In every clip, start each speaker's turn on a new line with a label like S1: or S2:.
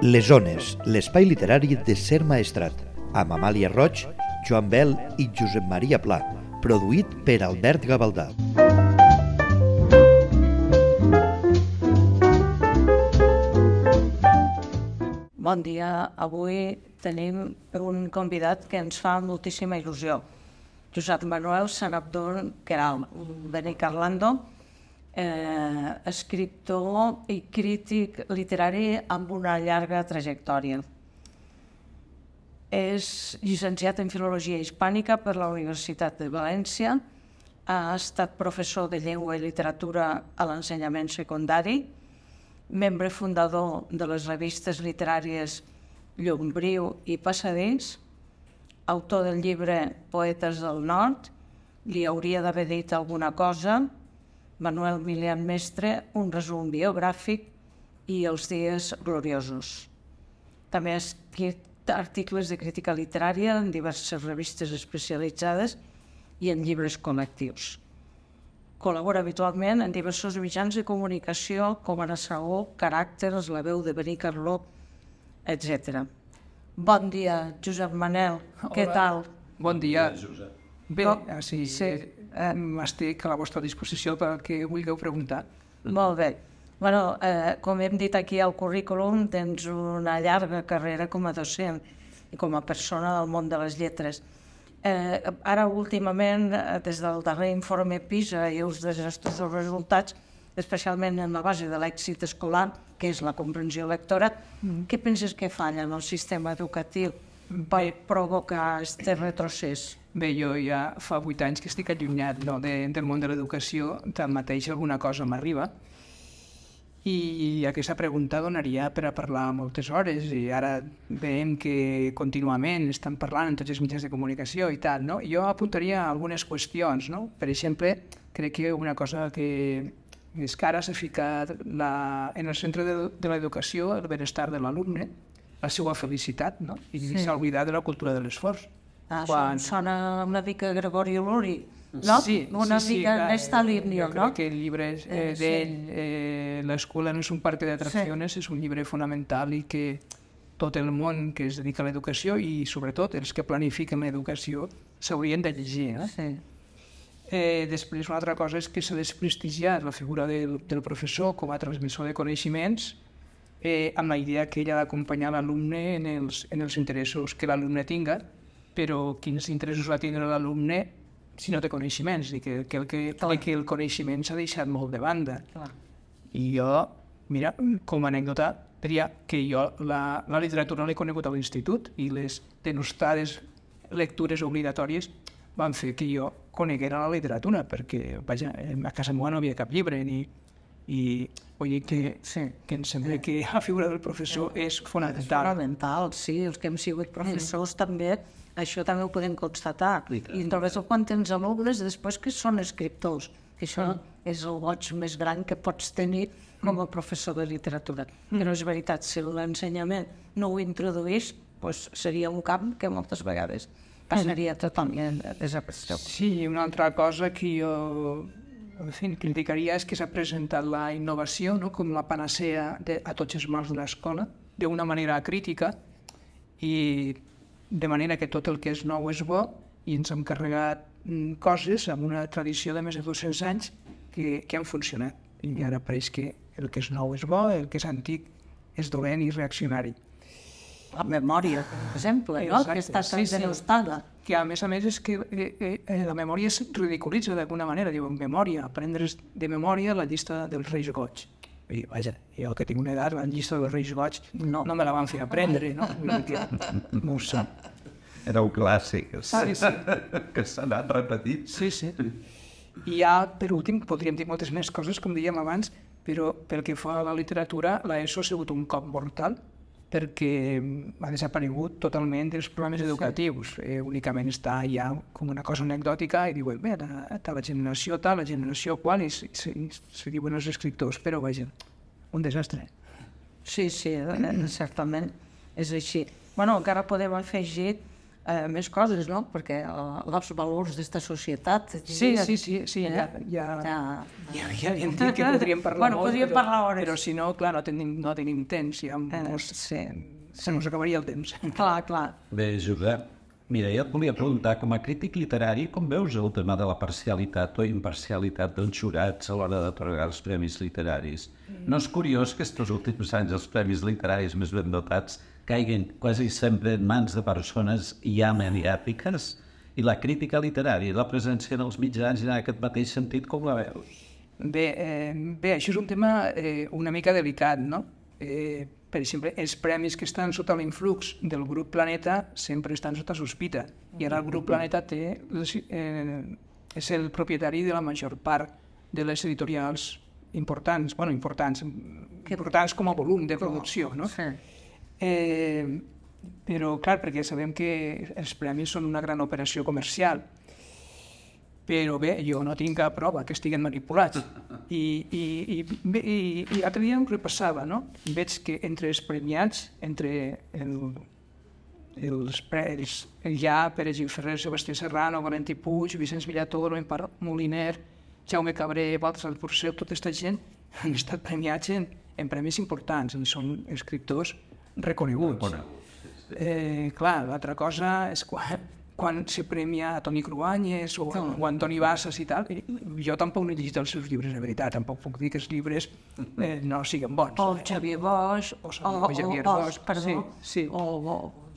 S1: Les Ones, l'espai literari de Ser Maestrat, amb Amàlia Roig, Joan Bel i Josep Maria Pla, produït per Albert Gavaldà.
S2: Bon dia. Avui tenim un convidat que ens fa moltíssima il·lusió. Josep Manuel Sarabdó Queralt, Benicarlando, escriptor i crític literari amb una llarga trajectòria. És llicenciat en Filologia Hispànica per la Universitat de València, ha estat professor de Llengua i Literatura a l'ensenyament secundari, membre fundador de les revistes literàries Llombriu i Passadís, autor del llibre Poetes del Nord, Li hauria d'haver dit alguna cosa, Manuel Milian Mestre, un resum biogràfic i Els dies gloriosos. També ha escrit articles de crítica literària en diverses revistes especialitzades i en llibres col·lectius. Col·labora habitualment en diversos mitjans de comunicació com Ara Sagó, Caràcters, La veu de Benicarló, etc. Bon dia, Josep Manel. Què tal?
S3: Bon dia. Bé, estic a la vostra disposició pel que vulgueu preguntar.
S2: Molt bé. Com hem dit aquí al currículum, tens una llarga carrera com a docent i com a persona del món de les lletres. Ara, últimament, des del darrer informe PISA i els desastres dels resultats, especialment en la base de l'èxit escolar, que és la comprensió lectora, què penses que falla en el sistema educatiu per provocar aquest retrocés?
S3: Bé, jo ja fa 8 anys que estic allunyat del món de l'educació, tanmateix alguna cosa m'arriba, i aquesta pregunta donaria per a parlar moltes hores, i ara veiem que contínuament estan parlant en tots els mitjans de comunicació i tal, no? Jo apuntaria algunes qüestions, no? Per exemple, crec que una cosa que és que ara s'ha ficat en el centre de l'educació el benestar de l'alumne, la seva felicitat, no? I s'ha oblidat de la cultura de l'esforç.
S2: Sona una mica Gregori Luri, no? Una mica d'esta línia, no?
S3: Crec que el llibre d'ell, L'escuela no és un parc d'atraccions, és un llibre fonamental i que tot el món que es dedica a l'educació i sobretot els que planifiquen l'educació s'haurien de llegir. Després, una altra cosa és que s'ha desprestigiat la figura del professor com a transmissor de coneixements amb la idea que ell ha d'acompanyar l'alumne en els interessos que l'alumne tinga, però quins interessos va tindre l'alumne si no té coneixements, i que el coneixement s'ha deixat molt de banda. I jo, mira, com a anècdota, diria que jo la literatura l'he conegut a l'institut i les denostades lectures obligatòries van fer que jo coneguera la literatura, perquè, vaja, a casa meva no havia cap llibre, i vull dir que em sembla que la figura del professor és fonamental.
S2: És fonamental, sí, els que hem sigut professors també, això també ho podem constatar. I sobretot quan tens alumnes després que són escriptors, que això és el goig més gran que pots tenir com a professor de literatura. Però és veritat, si l'ensenyament no ho introduís, seria un camp que moltes vegades passaria totalment desapercebut.
S3: Sí, una altra cosa que jo criticaria és que s'ha presentat la innovació com la panacea a tots els mals de l'escola, d'una manera crítica, i de manera que tot el que és nou és bo, i ens hem carregat coses amb una tradició de més de 200 anys que han funcionat. I ara pareix que el que és nou és bo, el que és antic és dolent i reaccionari.
S2: La memòria, per exemple, no? Que està tan denostada.
S3: Que a més és que la memòria es ridiculitza d'alguna manera. Diuen memòria, aprendre's de memòria la llista dels Reis Goig. I vaja, jo que tinc una edat, la llista dels Reis Goig no me la van fer aprendre, no? No ho sé.
S4: Era un clàssic, que s'ha anat repetint.
S3: Sí. I ja, per últim, podríem dir moltes més coses, com dèiem abans, però pel que fa a la literatura, l'ESO ha sigut un cop mortal, perquè ha desaparegut totalment dels programes educatius. Únicament està ja com una cosa anecdòtica i diuen, bé, la generació tal, la generació qual, i se diuen els escriptors, però vaja, un desastre.
S2: Sí, certament és així. Encara podem afegir més coses, no? Perquè els valors d'esta societat...
S3: Sí, ja hem dit que podríem parlar molt,
S2: podríem parlar hores.
S3: Però si no, clar, no tenim temps, ja se nos acabaria el temps.
S2: Clar.
S4: Bé, Josep, mira, jo et volia preguntar, com a crític literari, com veus el tema de la parcialitat o imparcialitat dels jurats a l'hora d'atorgar els premis literaris? No és curiós que estos últims anys els premis literaris més ben dotats caiguin quasi sempre en mans de persones ja mediàtiques? I la crítica literària i la presència en els mitjans en aquest mateix sentit, com la veus?
S3: Bé, això és un tema una mica delicat, no? Per exemple, els premis que estan sota l'influx del grup Planeta sempre estan sota sospita. I ara el grup Planeta és el propietari de la major part de les editorials importants com a volum de producció, no?
S2: Sí.
S3: Però, clar, perquè sabem que els premis són una gran operació comercial. Però bé, jo no tinc cap prova que estiguen manipulats. I l'altre dia em repassava, no? Veig que entre els premiats, entre el Ja, Pere Gil Ferrer, Sebastià Serrano, Valentí Puig, Vicenç Villatoro, Empar Moliner, Jaume Cabré, Baltasar Porcel, tota aquesta gent han estat premiats en premis importants, són escriptors reconeguts. Clar, l'altra cosa és quan se premia a Toni Cruanyes o Antoni Bassas i tal, jo tampoc no he llegit els seus llibres, de veritat, tampoc puc dir que els llibres no siguin bons.
S2: O Xavier Bosch,
S3: perdó,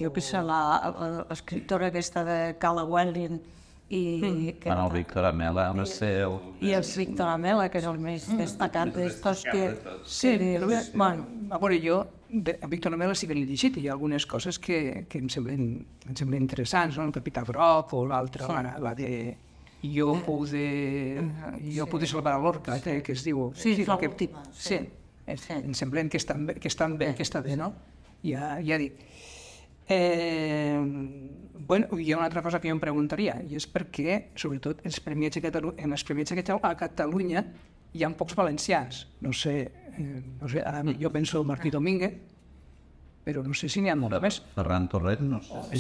S2: jo que sé, l'escriptora aquesta de Cala Welling i
S4: el Víctor Amela, no sé...
S2: I el Víctor Amela, que és el més destacat d'estos que...
S3: Sí, bueno, a veure, jo a Víctor Amela sí que l'he llegit i hi ha algunes coses que em semblen interessants, no? El Capità Groc o l'altra, la de Jo pude salvar a Lorca, que es diu...
S2: Sí, l'última.
S3: Sí, em semblen que estan bé, no? Ja dic. Bueno, hi ha una altra cosa que jo em preguntaria, i és perquè, sobretot, en els premiats a Catalunya hi ha pocs valencians. No sé, jo penso en Martí Domínguez, però no sé si n'hi ha molt més.
S4: Ferran Torrent, no sé.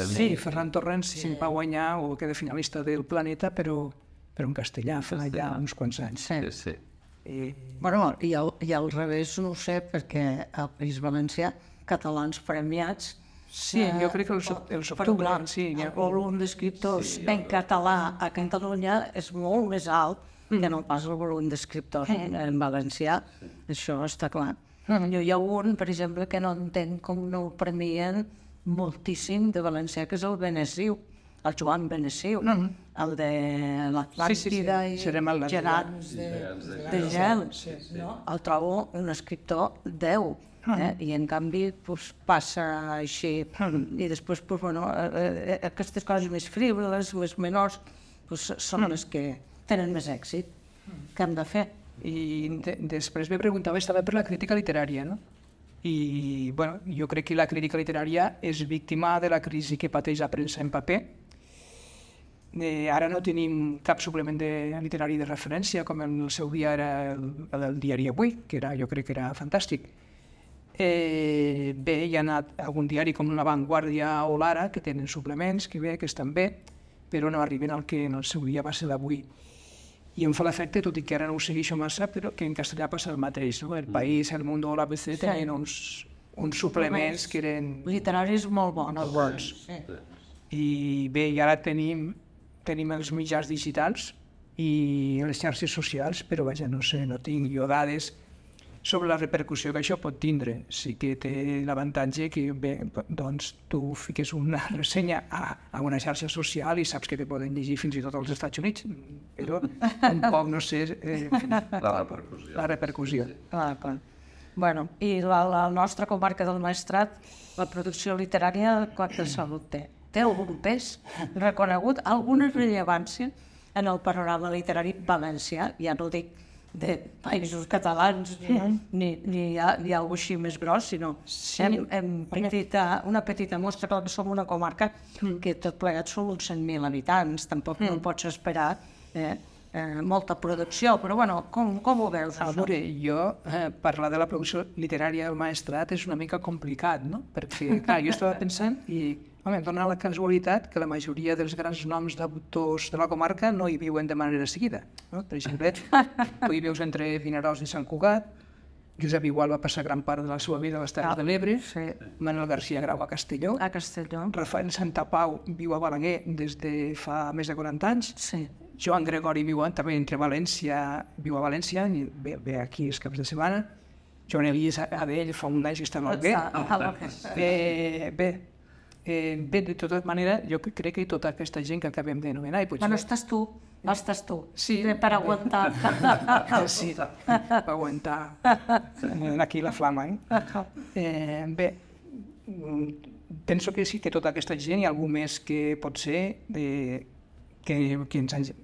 S3: Sí, Ferran Torrent sí va guanyar o queda finalista del Planeta, però en castellà fa ja uns quants anys.
S4: Sí.
S2: Bueno, i al revés no ho sé, perquè al País Valencià, catalans premiats...
S3: Sí, jo crec que el sobretot...
S2: El volum d'escriptors en català a Catalunya és molt més alt que no pas el volum d'escriptors en valencià. Això està clar. Hi ha un, per exemple, que no entenc com no el premien moltíssim de valencià, que és el Benessiu, el Joan Benessiu, el de l'Atlàntida i Gegants de Gel. El trobo un escriptor 10. I en canvi passa així i després aquestes coses més frívoles, més menors són les que tenen més èxit. Què hem de fer?
S3: I després me preguntaves també per la crítica literària, no? I jo crec que la crítica literària és víctima de la crisi que pateix la premsa en paper. Ara no tenim cap suplement literari de referència, com en el seu dia era el diari Avui, que jo crec que era fantàstic. Bé, hi ha anat algun diari com La Vanguardia o l'Ara, que tenen suplements, que estan bé, però no arriben al que en el seu dia va ser l'Avui. I em fa l'efecte, tot i que ara no ho segueixo massa, però que en castellà passa el mateix, no? El País, El Mundo o l'ABC tenien uns suplements que eren...
S2: Literaris molt bons.
S3: I bé, i ara tenim els mitjans digitals i les xarxes socials, però vaja, no sé, no tinc jo dades sobre la repercussió que això pot tindre. Sí que té l'avantatge que, bé, doncs tu fiques una ressenya a una xarxa social i saps que te poden llegir fins i tot als Estats Units, però tampoc no sé la repercussió.
S2: Bueno, i la nostra comarca del Maestrat, la producció literària, quanta salut té? Té algun pes reconegut, alguna rellevància en el panorama literari valencià, ja no dic de països catalans ni alguna cosa així més gros, sinó una petita mostra, clar que som una comarca que tot plegat són uns 100.000 habitants, tampoc no pots esperar molta producció, però bueno, com ho veus?
S3: Jo, parlar de la producció literària del Maestrat és una mica complicat, no? Perquè, clar, jo estava pensant i Home, dona la casualitat que la majoria dels grans noms d'autors de la comarca no hi viuen de manera seguida. No? Per exemple, tu hi veus entre Vinaròs i Sant Cugat, Josep Igual va passar gran part de la seva vida a les Terres de l'Ebre, Manuel García Grau a Castelló, Rafael Santapau viu a Balaguer des de fa més de 40 anys, Joan Gregori viu també entre València, viu a València, i ve aquí els caps de setmana, Joan Elies Adell fa un any que està molt bé. Bé, de tota manera, jo crec que tota aquesta gent que acabem d'anomenar...
S2: Bueno, estàs tu.
S3: Sí.
S2: Per aguantar.
S3: Sí, per aguantar aquí la flama. Bé, penso que sí que tota aquesta gent hi ha algú més que pot ser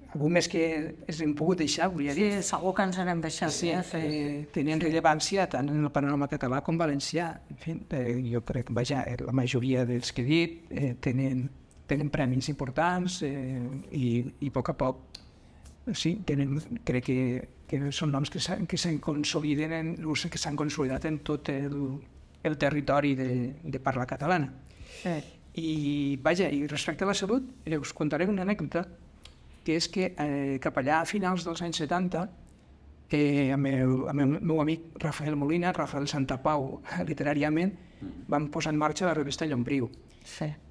S3: algú més que ens hem pogut deixar, volia dir.
S2: Sí, segur que ens n'hem deixat.
S3: Sí, tenien rellevància tant en el panorama català com valencià. En fi, jo crec que la majoria dels que he dit tenen premis importants i a poc a poc crec que són noms que s'han consolidat en tot el territori de parla catalana. I respecte a la salut, us contaré una anècdota, que és que cap allà a finals dels anys 70, amb el meu amic Rafael Molina, Rafael Santapau, literàriament, vam posar en marxa la revista Llombriu.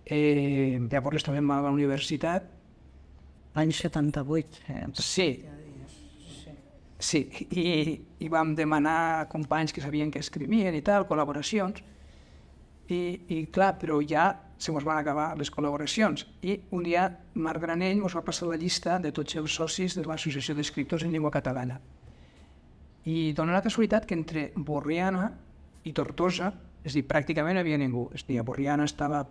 S3: Llavors estàvem a la universitat.
S2: L'any 78.
S3: Sí, i vam demanar a companys que sabien que escrivien i tal, col·laboracions, i clar, però ja se mos van acabar les col·laboracions. I un dia Marc Granell mos va passar la llista de tots els socis de l'Associació d'Escriptors en Llengua Catalana. I dona la casualitat que entre Borriana i Tortosa, és a dir, pràcticament no hi havia ningú. És a dir, a Borriana estava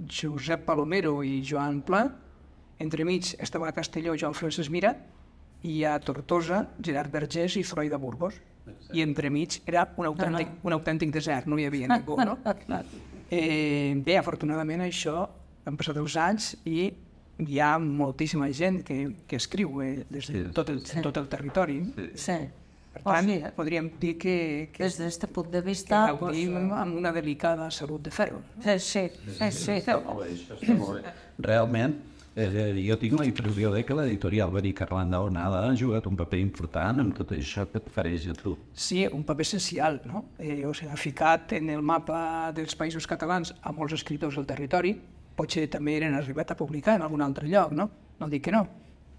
S3: Josep Palomero i Joan Pla, entremig estava a Castelló Joan Francesc Mira, i a Tortosa Gerard Vergés i Freud de Burgos. I entremig era un autèntic desert, no hi havia ningú, no? Bé, afortunadament això han passat els anys i hi ha moltíssima gent que escriu des de tot el territori. Per tant, podríem dir que
S2: des d'aquest punt de vista
S3: gaudim amb una delicada salut de ferro.
S2: Sí.
S4: Realment, jo tinc la impressió que l'editorial Beric Arlanda Onada ha jugat un paper important en tot això que et fareix a tu.
S3: Sí, un paper essencial, no? Ha ficat en el mapa dels països catalans a molts escriptors del territori, potser també eren arribat a publicar en algun altre lloc, no? No dic que no,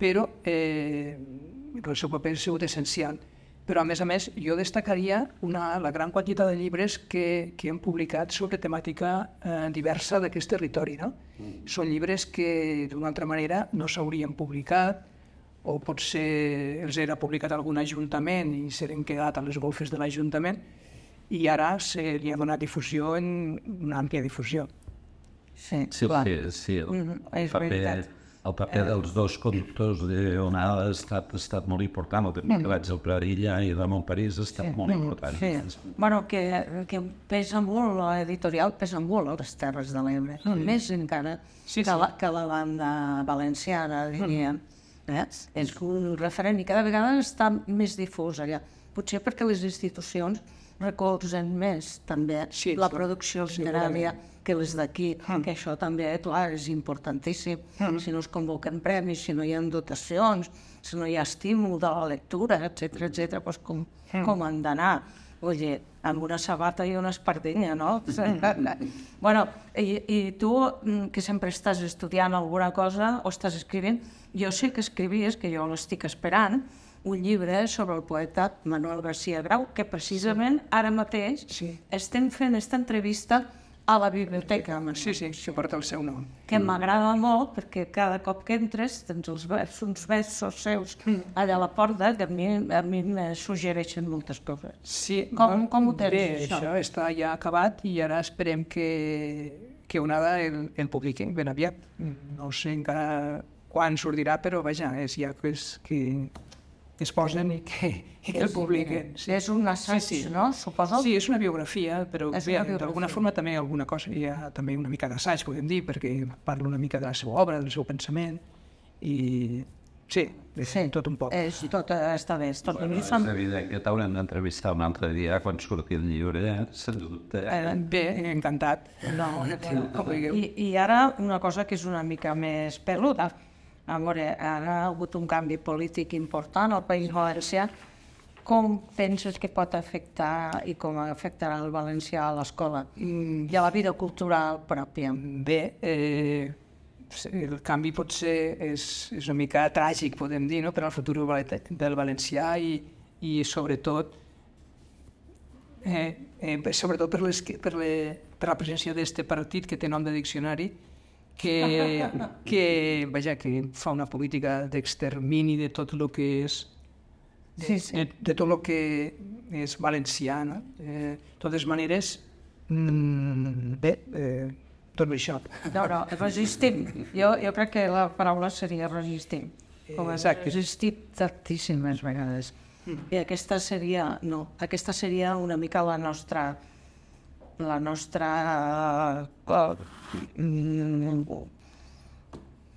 S3: però el seu paper ha sigut essencial. Però, a més, jo destacaria la gran quantitat de llibres que hem publicat sobre temàtica diversa d'aquest territori. Són llibres que, d'una altra manera, no s'haurien publicat, o potser els era publicat algun ajuntament i s'eren quedat a les golfes de l'Ajuntament, i ara se li ha donat difusió en una àmplia difusió.
S2: Sí, clar.
S4: El paper dels dos conductors d'Onada ha estat molt important, el temps que vaig al Pradilla i Ramon París ha estat molt important.
S2: Bueno, que pesa molt, l'editorial pesa molt a les Terres de l'Ebre, més encara que la banda valenciana, diríem. És un referent i cada vegada està més difús allà. Potser perquè les institucions recolzen més també la producció literària que les d'aquí, que això també, clar, és importantíssim. Si no es convoquen premis, si no hi ha dotacions, si no hi ha estímul de la lectura, etcètera, doncs com han d'anar? Vull dir, amb una sabata i una espardenya, no? Bueno, i tu, que sempre estàs estudiant alguna cosa o estàs escrivint, jo sé que escrivies, que jo l'estic esperant, un llibre sobre el poeta Manuel García Grau, que precisament ara mateix estem fent aquesta entrevista a la biblioteca.
S3: Sí, porta el seu nom.
S2: Que m'agrada molt perquè cada cop que entres tens uns versos seus allà a la porta que a mi me suggereixen moltes coses.
S3: Sí,
S2: com ho tens,
S3: bé, això està ja acabat i ara esperem que Onada el publiqui ben aviat. No sé encara quan sortirà, però vaja, és ja que es posen i que el publiquen.
S2: És un assaig, no? Suposo?
S3: Sí, és una biografia, però d'alguna forma també alguna cosa, hi ha també una mica d'assaig, podem dir, perquè parla una mica de la seva obra, del seu pensament, i Sí, tot un poc.
S2: Tot està bé. Tot
S4: És evident que t'haurem d'entrevistar un altre dia quan surti el llibre, sens dubte.
S3: Bé, encantat.
S2: No,
S3: Com vulgueu.
S2: I ara una cosa que és una mica més peluda. A veure, ara ha hagut un canvi polític important al País Valencià. Com penses que pot afectar i com afectarà el valencià a l'escola i a la vida cultural pròpia?
S3: Bé, el canvi potser és una mica tràgic, podem dir, no? Per al futur del valencià i sobretot per la presència d'aquest partit que té nom de diccionari que fa una política d'extermini de tot el que és de tot el que és valencià, no? De totes maneres, bé, tot això.
S2: No, resistim. Jo crec que la paraula seria resistim.
S3: Exacte.
S2: Resistim tantíssimes vegades. I aquesta seria una mica la nostra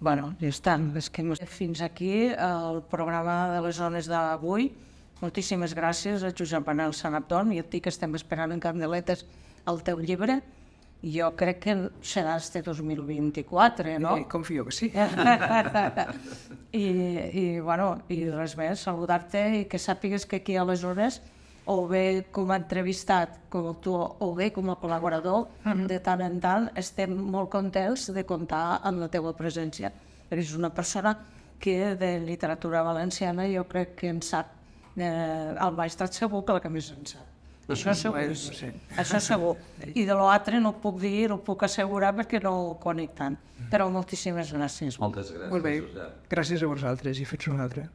S2: bueno, ja està. Fins aquí el programa de les zones d'avui. Moltíssimes gràcies a Josep Manel Sanabdon i a ti que estem esperant en candeletes el teu llibre. Jo crec que serà este 2024, no?
S3: Confio que sí.
S2: I res més, saludar-te i que sàpigues que aquí aleshores, o bé com a entrevistat, com a autor, o bé com a col·laborador, de tant en tant estem molt contents de comptar amb la teva presència. És una persona que de literatura valenciana jo crec que en sap, al Maestrat segur que la que més en sap. Això segur. I de l'altre no ho puc dir, no ho puc assegurar perquè no ho conec tant. Però moltíssimes gràcies.
S4: Moltes gràcies.
S3: Molt bé, gràcies a vosaltres i fins una altra.